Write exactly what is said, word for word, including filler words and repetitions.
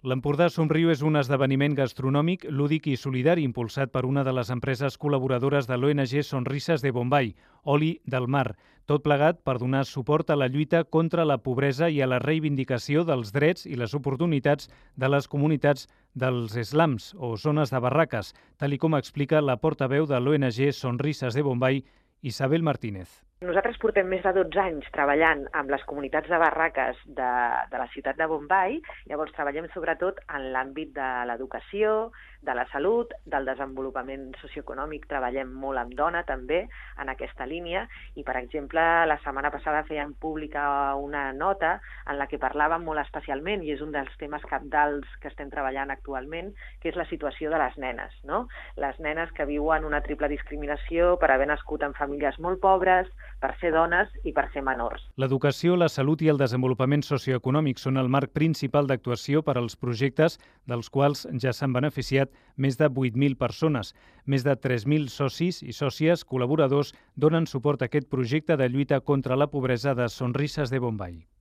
L'Empordà Somriu és un esdeveniment gastronòmic, lúdic i solidari impulsat per una de les empreses col·laboradores de l'O N G Sonrisas de Bombay, Oli del Mar, tot plegat per donar suport a la lluita contra la pobresa i a la reivindicació dels drets i les oportunitats de les comunitats dels slums o zones de barraques, tal i com explica la portaveu de l'O N G Sonrisas de Bombay, Isabel Martínez. Nosaltres portem més de dotze anys treballant amb les comunitats de barraques de, de la ciutat de Bombay. Llavors treballem sobretot en l'àmbit de l'educació, de la salut, del desenvolupament socioeconòmic. Treballem molt amb dona també en aquesta línia i, per exemple, la setmana passada fèiem pública una nota en la que parlàvem molt especialment, i és un dels temes cabdals que estem treballant actualment, que és la situació de les nenes, no? Les nenes que viuen una triple discriminació per haver nascut en famílies molt pobres, per ser dones i per ser menors. L'educació, la salut i el desenvolupament socioeconòmic són el marc principal d'actuació per als projectes, dels quals ja s'han beneficiat més de vuit mil persones. Més de tres mil socis i sòcies col·laboradors donen suport a aquest projecte de lluita contra la pobresa de Sonrisas de Bombay.